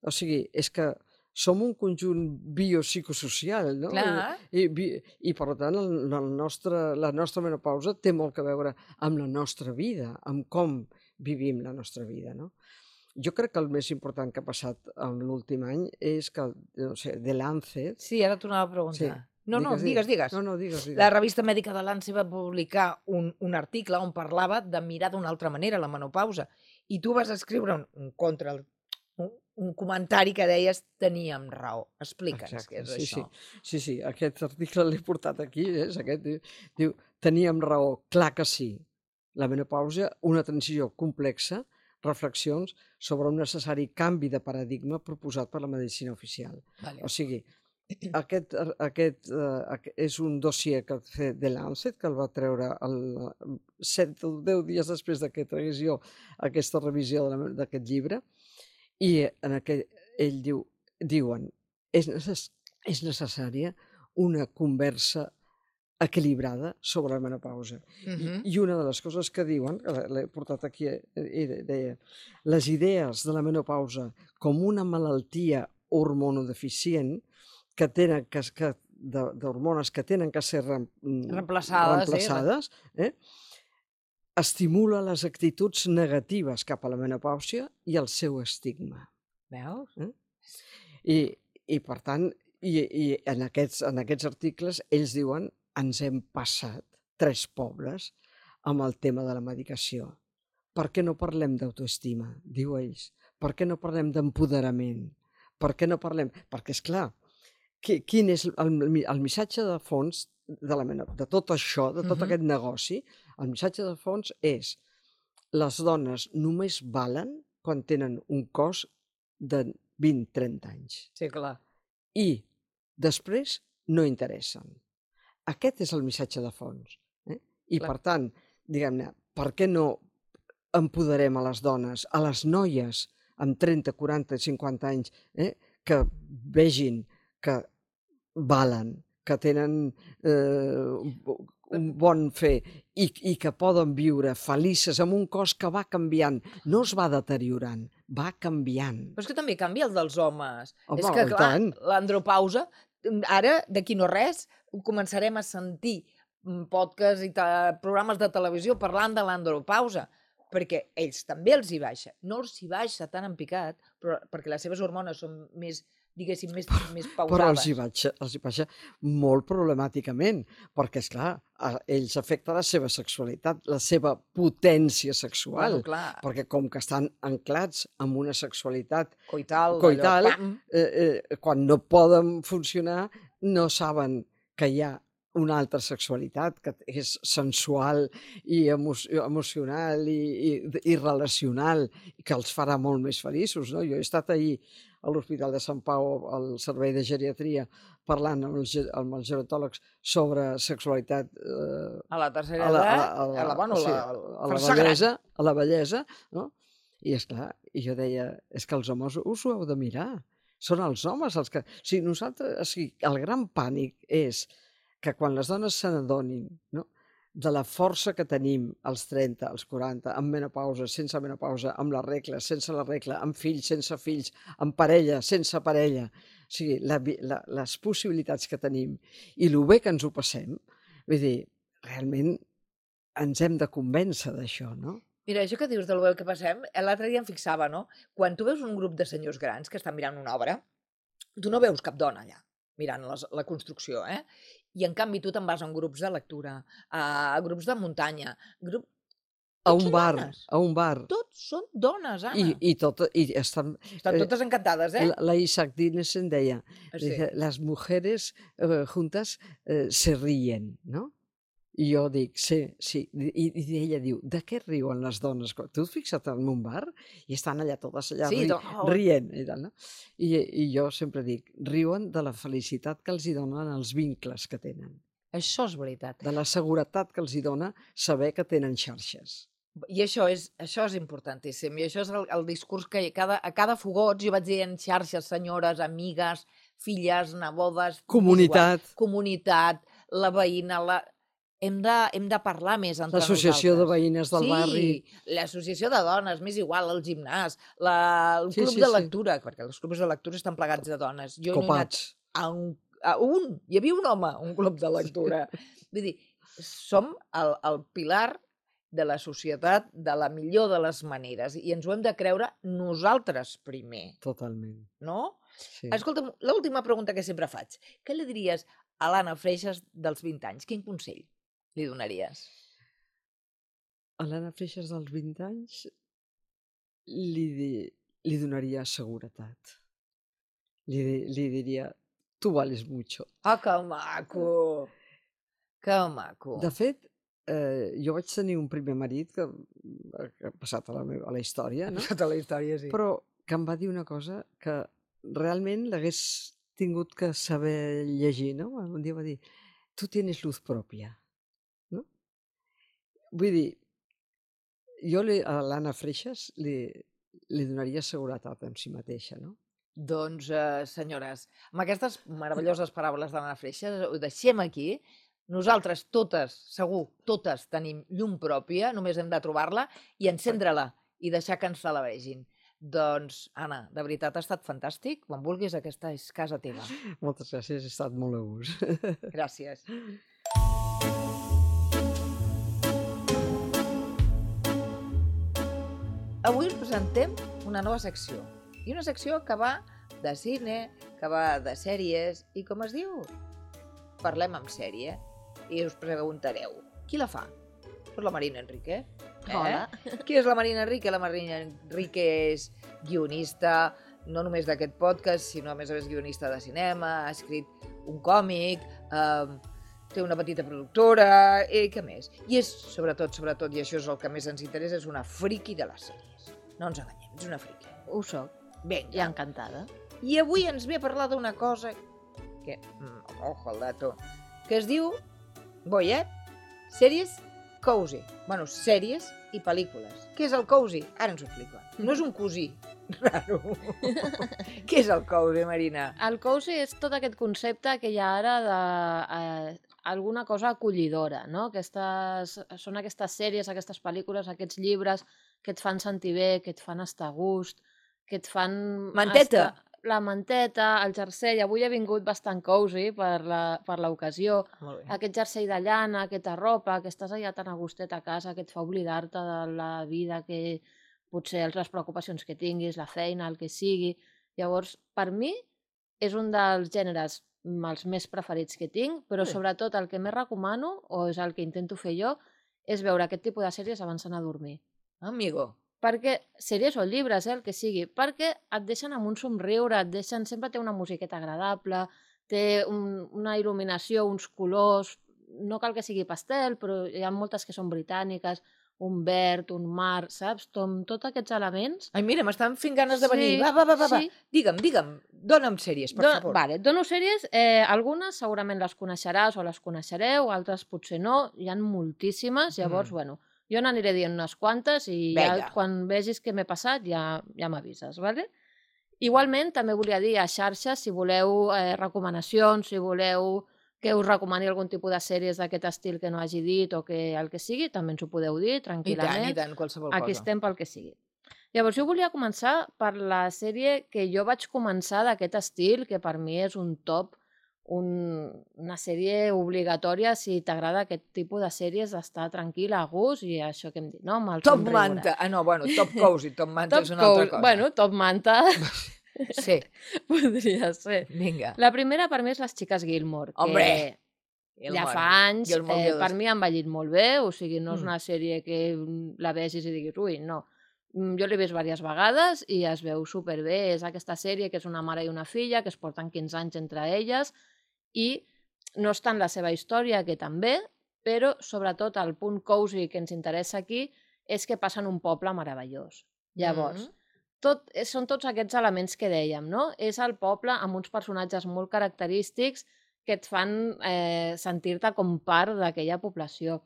o sigui, és que som un conjunt biopsicosocial, no? Clar. I, i, i per tant, el, el nostre, la nostra menopausa té molt a veure amb la nostra vida, amb com vivim la nostra vida, no? Jo crec que el més important que ha passat en l'últim any és que, no sé, The Lancet... Sí, ara t'ho anava a preguntar. Sí. No, no, digues, digues. No, no, digues, digues. La revista mèdica de l'A N S va publicar un, un article on parlava de mirar d'una altra manera la menopausa. I tu vas escriure un, un contra, un, un comentari que deies teníem raó. Explica'ns Exacte, què és sí, això. Sí, sí, sí, aquest article l'he portat aquí, és aquest, diu, diu, teníem raó, clar que sí. La menopausa, una transició complexa, reflexions sobre un necessari canvi de paradigma proposat per la medicina oficial. Vale. O sigui, aquest, aquest uh, és un dossier que ha fet The Lancet, que el va treure el set o deu dies després que tragués jo aquesta revisió d'aquest llibre, i en aquell, ell diu, diuen és, necess, és necessària una conversa equilibrada sobre la menopausa. Uh -huh. I, I una de les coses que diuen, que l'he portat aquí, i deia, les idees de la menopausa com una malaltia hormonodeficient que tenen que, que d'hormones que tenen que ser rem, reemplaçades, reemplaçades eh? Eh? estimula les actituds negatives cap a la menopausa i el seu estigma. Veus? Eh? I, I, per tant, i, i en, aquests, en aquests articles ells diuen ens hem passat tres pobles amb el tema de la medicació. Per què no parlem d'autoestima? Diu ells. Per què no parlem d'empoderament? Per què no parlem... Perquè, esclar, quin és el, el missatge de fons de, la, de tot això, de tot uh-huh. aquest negoci? El missatge de fons és les dones només valen quan tenen un cos de vint a trenta anys. Sí, clar. I després no interessen. Aquest és el missatge de fons. Eh? I, clar. Per tant, diguem-ne, per què no empoderem a les dones, a les noies amb trenta, quaranta, cinquanta anys, eh? que vegin que valen, que tenen eh, un bon fer i, i que poden viure felices amb un cos que va canviant, no es va deteriorant, va canviant. Però és que també canvia el dels homes. Home, és que, clar, tant. l'andropausa, ara, d'aquí no res, començarem a sentir podcasts i programes de televisió parlant de l'andropausa, perquè ells també els hi baixa. No els hi baixa tan en picat, però perquè les seves hormones són més, diguéssim, més, però, més pausades. Però els hi, baixa, els hi baixa molt problemàticament, perquè, esclar, a ells afecta la seva sexualitat, la seva potència sexual, bueno, clar. Perquè com que estan anclats amb una sexualitat coital, coital allò, eh, eh, quan no poden funcionar, no saben que hi ha una altra sexualitat que és sensual i emo emocional i, i, i relacional i que els farà molt més feliços, no? Jo he estat ahir a l'Hospital de Sant Pau, al servei de geriatria, parlant amb els, amb els gerontòlegs sobre sexualitat eh, a la tercera edat, a la, a la, a la, bueno, sí, la, a la bellesa, a la bellesa, no? I esclar, i jo deia, és que els homes us ho heu de mirar, són els homes els que... O sigui, nosaltres, o sigui, el gran pànic és que quan les dones se n'adonin, no?, de la força que tenim als trenta, als quaranta, amb menopausa, sense menopausa, amb la regla, sense la regla, amb fills, sense fills, amb parella, sense parella, o sigui, la, la, les possibilitats que tenim i el bé que ens ho passem, vull dir, realment ens hem de convèncer d'això, no? Mira, això que dius del bé que passem, l'altre dia em fixava, no? Quan tu veus un grup de senyors grans que estan mirant una obra, tu no veus cap dona allà mirant les, la construcció, eh? I en canvi tu te'n vas a grups de lectura, a, a grups de muntanya, grup... a un bar, dones. a un bar. Tots són dones, Anna. I, i, tot, i estan... Estan totes encantades, eh? La, la Isaac Dinesen deia, sí. les mujeres eh, juntas eh, se ríen, no? I jo dic, sí, sí. I, i ella diu, de què riuen les dones? Tu et fixa't en un bar i estan allà totes allà sí, ri, oh. rient. I, tal, no? I, I jo sempre dic, riuen de la felicitat que els hi donen els vincles que tenen. Això és veritat. De la seguretat que els hi dona saber que tenen xarxes. I això és, això és importantíssim. I això és el, el discurs que cada, a cada fogot jo vaig dir en xarxes, senyores, amigues, filles, nebodes... Comunitat. Igual, comunitat, la veïna, la... hem de, hem de parlar més entre nosaltres. L'associació de veïnes del sí, barri. Sí, l'associació de dones, m'és igual, el gimnàs, la, el Sí, club sí, de sí. lectura, perquè els clubs de lectura estan plegats de dones. Jo no he anat Copats. a un, a un, hi havia un home, un club de lectura. Vull dir, som el, el pilar de la societat de la millor de les maneres i ens ho hem de creure nosaltres primer, Totalment. no? Sí. Escolta'm, l'última pregunta que sempre faig. Què li diries a l'Anna Freixas dels vint anys? Quin consell li donaries? A l'Anna Freixas dels vint anys li, di, li donaria seguretat. Li, li diria, tu vales mucho. Ah, que maco! Que maco! De fet, eh, jo vaig tenir un primer marit que, que ha passat a la, meva, a la història, no? Tota la història, sí. Però que em va dir una cosa que realment l'hagués tingut que saber llegir, no? Un dia va dir, tu tienes luz pròpia, no? Vull dir, jo li, a l'Anna Freixas li, li donaria seguretat en si mateixa, no? Doncs, eh, senyores, amb aquestes meravelloses paraules de l'Anna Freixas, ho deixem aquí. Nosaltres totes, segur, totes tenim llum pròpia, només hem de trobar-la i encendre-la i deixar que ens la vegin. Doncs, Anna, de veritat ha estat fantàstic. Quan vulguis, aquesta és casa teva. Moltes gràcies, he estat molt a gust. Gràcies. Avui us presentem una nova secció. I una secció que va de cine, que va de sèries, i com es diu? Parlem amb sèrie. I us preguntareu, qui la fa? Pues la Marina Enrique. Eh? Hola. Qui és la Marina Enrique? La Marina Enrique és guionista, no només d'aquest podcast, sinó a més a més guionista de cinema, ha escrit un còmic, eh, té una petita productora, i què més? I és, sobretot, sobretot, i això és el que més ens interessa, és una friki de les sèries. No ens enganyem, és una friki. Ho soc. Vinga. I encantada. I avui ens ve a parlar d'una cosa que, mm, ojo al dato, que es diu, voy, eh? Sèries cozy. Bueno, sèries i pel·lícules. Què és el cozy? Ara ens ho explica. No és un cosí raro. Què és el cozy, Marina? El cozy és tot aquest concepte que hi ha ara de eh, alguna cosa acollidora, no? Aquestes, són aquestes sèries, aquestes pel·lícules, aquests llibres que et fan sentir bé, que et fan estar a gust, que et fan... Manteta. Estar... La manteta, el jersei. Avui he vingut bastant cozy per la, per l'ocasió. Molt bé. Aquest jersei de llana, aquesta ropa, que estàs allà tan a gustet a casa, que et fa oblidar-te de la vida, que potser les preocupacions que tinguis, la feina, el que sigui. Llavors, per mi, és un dels gèneres els més preferits que tinc, però Bé. sobretot el que més recomano, o és el que intento fer jo, és veure aquest tipus de sèries abans d'anar a dormir. Amigo. Perquè, sèries o llibres, eh, el que sigui, perquè et deixen amb un somriure, et deixen, sempre té una musiqueta agradable, té un, una il·luminació, uns colors, no cal que sigui pastel, però hi ha moltes que són britàniques, un verd, un mar, saps? Tom, tots aquests elements. Ai, mira, m'estan fent ganes de venir. Sí, Va, va, va, va, va. sí. Digue'm, digue'm, dona'm sèries, per Do- favor. Vale, et dono sèries, eh, algunes segurament les coneixeràs o les coneixereu, altres potser no, hi ha moltíssimes, llavors, Mm. bueno, jo n'aniré dient unes quantes i ja, Vinga. quan vegis què m'he passat ja, ja m'avises, vale? Igualment, també volia dir a xarxes, si voleu eh, recomanacions, si voleu que us recomani algun tipus de sèries d'aquest estil que no hagi dit o que el que sigui, també ens ho podeu dir I tant, tranquil·lament. i tant, qualsevol Aquí cosa. estem pel que sigui. Llavors, jo volia començar per la sèrie que jo vaig començar d'aquest estil, que per mi és un top, un, una sèrie obligatòria si t'agrada aquest tipus de sèries d'estar tranquil, a gust, i això que hem dit, no? Amb el Top somriure. manta. Ah, no, bueno, top cozy, top manta Top és una altra cozy. cosa. Bueno, top manta Sí, podria ser. vinga. La primera per mi és Les xiques Gilmore, que Hombre! ja fa anys, Gilmore eh, Girls. per mi ha envellit molt bé, o sigui, no és Mm. una sèrie que mm, la vegis i diguis, ui, no. Mm, Jo l'he vist diverses vegades i es veu superbé. És aquesta sèrie que és una mare i una filla que es porten quinze anys entre elles i no és tant la seva història, que també, però sobretot el punt cozy que ens interessa aquí és que passa en un poble meravellós. Llavors, Mm. tot, eh, són tots aquests elements que dèiem, no? És el poble amb uns personatges molt característics que et fan eh, sentir-te com part d'aquella població.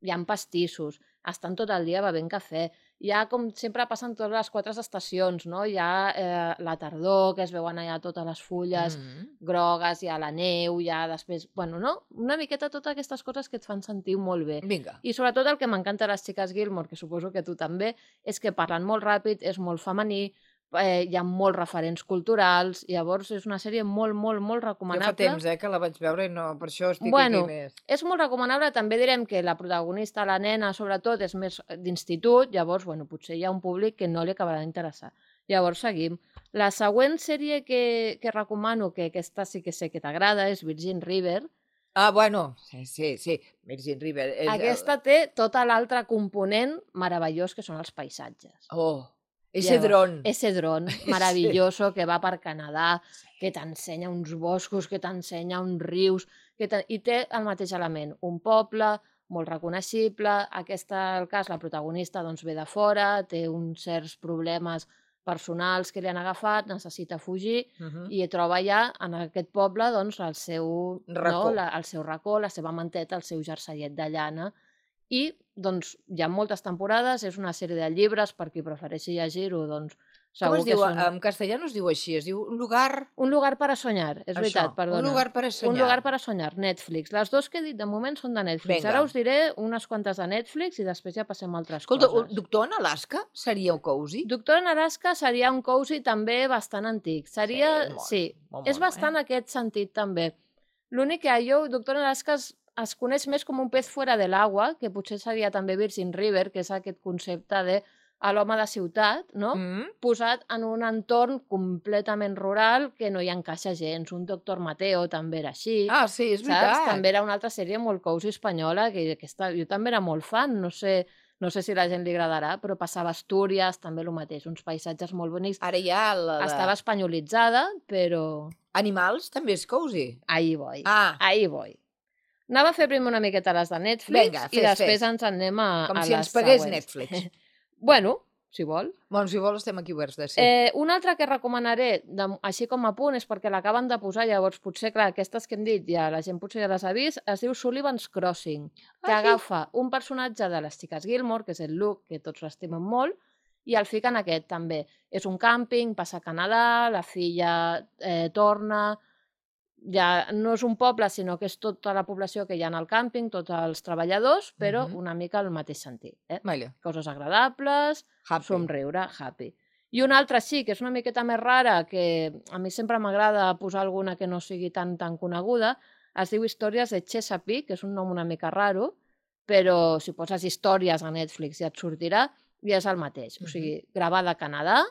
Hi ha pastissos, estan tot el dia bevent cafè. Hi ha, com sempre, passen totes les quatre estacions, no? Hi ha eh, la tardor, que es veuen allà totes les fulles Mm. grogues, hi ha la neu, hi ha després... Bueno, no? Una miqueta totes aquestes coses que et fan sentir molt bé. Vinga. I sobretot el que m'encanta de les xiques Gilmore, que suposo que tu també, és que parlen molt ràpid, és molt femení, eh, hi ha molts referents culturals, llavors és una sèrie molt, molt, molt Jo recomanable. fa temps eh, que la vaig veure i no, per això estic Bueno, aquí més. És molt recomanable, també direm que la protagonista, la nena, sobretot, és més d'institut, llavors, bueno, potser hi ha un públic que no li acabarà d'interessar. Llavors, seguim. La següent sèrie que, que recomano, que aquesta sí que sé que t'agrada, és Virgin River. Ah, bueno, sí, sí, sí. Virgin River. És Aquesta té tota l'altre component meravellós que són els paisatges. El... Oh, ese dron. Ese dron maravilloso que va per Canadà, que t'ensenya uns boscos, que t'ensenya uns rius, que i té el mateix element. Un poble molt reconeixible, aquesta, el cas, la protagonista doncs, ve de fora, té uns certs problemes personals que li han agafat, necessita fugir Uh -huh. i troba allà, en aquest poble, doncs, el seu Racó. No, la, el seu racó, la seva manteta, el seu jersellet de llana. I doncs, hi ha moltes temporades, és una sèrie de llibres, per qui prefereixi llegir-ho, doncs, Com segur es que diu? són... En castellà no es diu així, es diu un lugar... Un lugar para soñar, és Això, veritat, perdona. un lugar para soñar. Un lugar para soñar, Netflix. Les dues que he dit de moment són de Netflix. Vinga. Ara us diré unes quantes de Netflix i després ja passem a altres Escolta, coses. un Doctor en Alaska seria un cozy? Doctor en Alaska seria un cozy també bastant antic. Seria, Sí, molt, sí, molt és mono, bastant eh? aquest sentit també. L'únic que jo, Doctor en Alaska es, es coneix més com un pez fuera de l'aigua, que potser seria també Virgin River, que és aquest concepte de a l'home de ciutat, no? Mm? Posat en un entorn completament rural que no hi encaixa gens. Un Doctor Mateo també era així. Ah, sí, és veritat. Saps? També era una altra sèrie molt cozy espanyola, que aquesta, jo també era molt fan, no sé, no sé si a la gent li agradarà, però passava a Astúries, també el mateix, uns paisatges molt bonics. Ara ja la de... Estava espanyolitzada, però Animals també és cozy. ahí voy, Ah, ahí voy. Anava a fer primer una miqueta les de Netflix Vinga, i fes, després fes. ens anem a, com a si les ens pagués següents. Netflix. Bueno, si vol. Bueno, si vols estem aquí oberts de sí. Eh, una altra que recomanaré, de, així com a punt, és perquè l'acaben de posar, llavors potser, clar, aquestes que hem dit, ja la gent potser ja les ha vist, es diu Sullivan's Crossing, que Ah, sí? agafa un personatge de les xiques Gilmore, que és el Luke, que tots l'estimen molt, i el fiquen aquest també. És un càmping, passa a Canadà, la filla eh, torna... Ja no és un poble, sinó que és tota la població que hi ha al càmping, tots els treballadors, però Mhm. una mica al mateix sentit. Eh? Vale. Coses agradables, Happy. somriure, happy. I una altra sí, que és una miqueta més rara, que a mi sempre m'agrada posar alguna que no sigui tan tan coneguda, es diu Històries de Chesapeake, que és un nom una mica raro, però si poses històries a Netflix ja et sortirà, i és el mateix. O sigui, gravada a Canadà,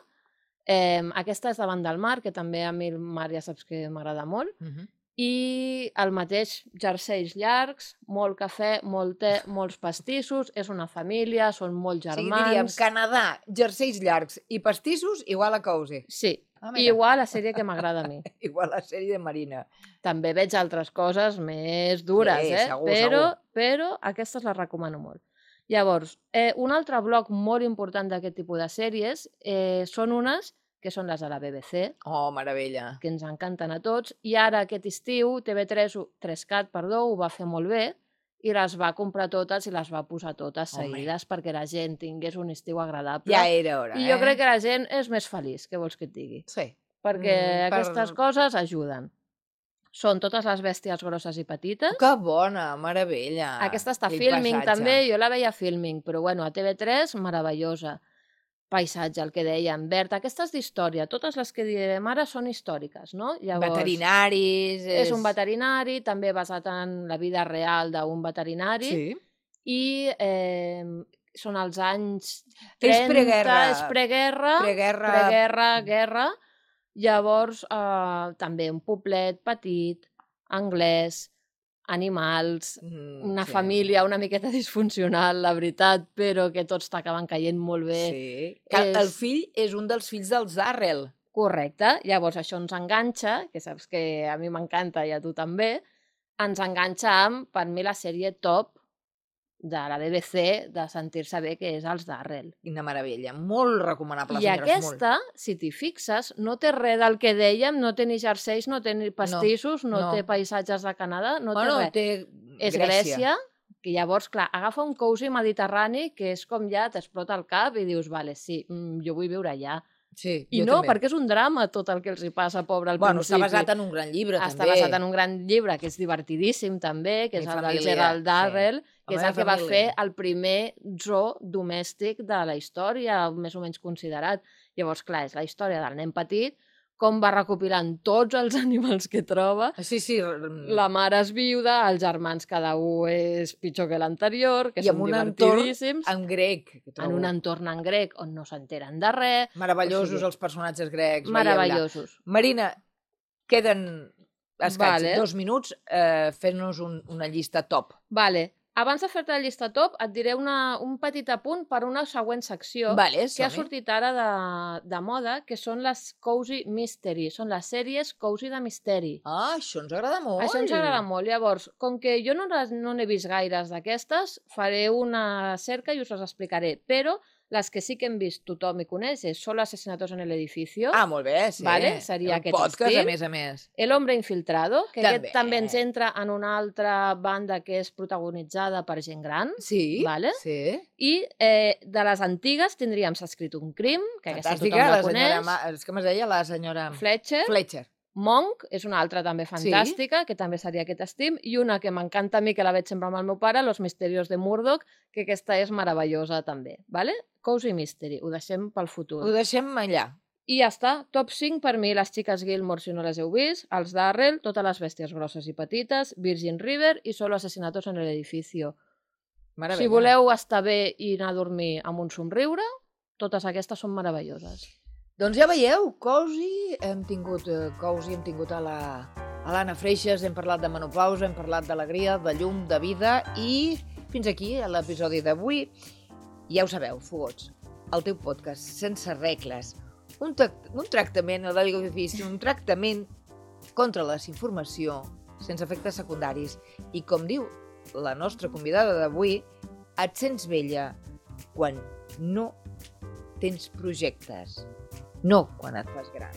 eh, aquesta és davant del mar, que també a mi el mar ja saps que m'agrada molt, Mhm. i el mateix jerseis llargs, molt cafè, molt te, molts pastissos, és una família, són molt O sigui, germans... diríem Canadà, jerseis llargs i pastissos igual a cozy. Sí, Ah, i mira. igual la sèrie que m'agrada a mi. Igual la sèrie de Marina. També veig altres coses més dures, Sí, eh? segur, però, segur. però aquestes les recomano molt. Llavors, eh, un altre bloc molt important d'aquest tipus de sèries eh, són unes que són les de la B B C, Oh, meravella. que ens encanten a tots, i ara aquest estiu T V tres, ho- tres cat, perdó, ho va fer molt bé, i les va comprar totes i les va posar totes Home. seguides perquè la gent tingués un estiu agradable. Ja era hora, I eh? jo crec que la gent és més feliç, què vols que et digui? Sí. Perquè Mm, per- aquestes coses ajuden. Són totes les bèsties grosses i petites. Que bona, meravella. Aquesta està Aquell Filming paisatge. també, jo la veia a Filming, però bueno, a T V tres, meravellosa. Paisatge, el que dèiem, verd. Aquestes d'història, totes les que direm ara són històriques, no? Llavors, Veterinaris... és un veterinari, també basat en la vida real d'un veterinari, Sí. i eh, són els anys És trenta, preguerra. és preguerra, Preguerra... preguerra, guerra. Llavors, eh, també un poblet petit, anglès, animals, Mm, una sí. família una miqueta disfuncional, la veritat, però que tots t'acaben caient molt bé. Sí. Que És- El fill és un dels fills dels Darrell. Correcte. Llavors això ens enganxa, que saps que a mi m'encanta i a tu també, ens enganxa amb, per mi, la sèrie top de la B B C de sentir-se bé, que és els Darrell. Quina meravella. Molt recomanable, I senyores, aquesta, si t'hi fixes, no té res del que dèiem, no té ni jerseis, no té ni pastissos, no, no. té paisatges de Canadà, no molt. Bueno, té res. té És Grècia. Grècia, que llavors, clar, agafa un cozy mediterrani que és com ja t'explota el cap i dius, vale, sí, mm, jo vull viure allà. Sí, I jo no, també. perquè és un drama tot el que els hi passa, pobre, al Bueno, principi. està basat en un gran llibre, Està també. basat en un gran llibre, que és divertidíssim, també, que Mi és el família, del Gerald Darrell, sí. que La és el meva que va família. fer el primer zoo domèstic de la història, més o menys considerat. Llavors, clar, és la història del nen petit, com va recopilant tots els animals que troba. Sí, sí. La mare és viuda, els germans cada un és pitjor que l'anterior, que I són amb un entorn divertidíssims. en grec. Que trobo. En un entorn en grec on no s'enteren de res. Meravellosos o sigui, els personatges grecs. Meravellosos. Veieu-la. Marina, queden escaig, Vale. dos minuts, eh, fent-nos un, una llista top. Vale. Abans de fer-te la llista top, et diré una, un petit apunt per una següent secció Vale, que ha som-hi. sortit ara de, de moda, que són les Cozy Mystery. Són les sèries Cozy de misteri. Ah, això ens agrada molt. Això ens agrada molt. Llavors, com que jo no les- no n'he vist gaires d'aquestes, faré una cerca i us les explicaré. Però les que sí que hem vist tothom i coneix és Solo asesinatos en el edificio, Ah, molt bé, sí. Vale, seria El aquest podcast, estil. a més a més. El hombre infiltrado, que També. aquest també ens entra en una altra banda que és protagonitzada per gent gran. Sí, Vale. sí. I eh, de les antigues tindríem S'ha escrit un crim, que aquesta tothom Fantàstica, la la senyora... coneix. Ma... És que m'es deia la senyora... Fletcher. Fletcher. Monk és una altra també fantàstica, que també seria aquest estim, i una que m'encanta a mi, que la veig sempre amb el meu pare, Los misterios de Murdoch, que aquesta és meravellosa també. Vale? Cozy Mystery, ho deixem pel futur. Ho deixem allà. I ja està, top cinc per mi, les xiques Gilmore, si no les heu vist, els Darrell, totes les bèsties grosses i petites, Virgin River i Solo asesinatos en el edificio. Meravella. Si voleu estar bé i anar a dormir amb un somriure, totes aquestes són meravelloses. Doncs ja veieu, Cozy, hem tingut eh, Cozy, hem tingut a la a l'Anna Freixas, hem parlat de menopausa, hem parlat d'alegria, de llum, de vida, i fins aquí l'episodi d'avui. Ja ho sabeu, fogots, el teu podcast sense regles, un, un tractament, no dic difícil, un tractament contra la desinformació, sense efectes secundaris. I com diu la nostra convidada d'avui, et sents vella quan no tens projectes, no quan et fas gran.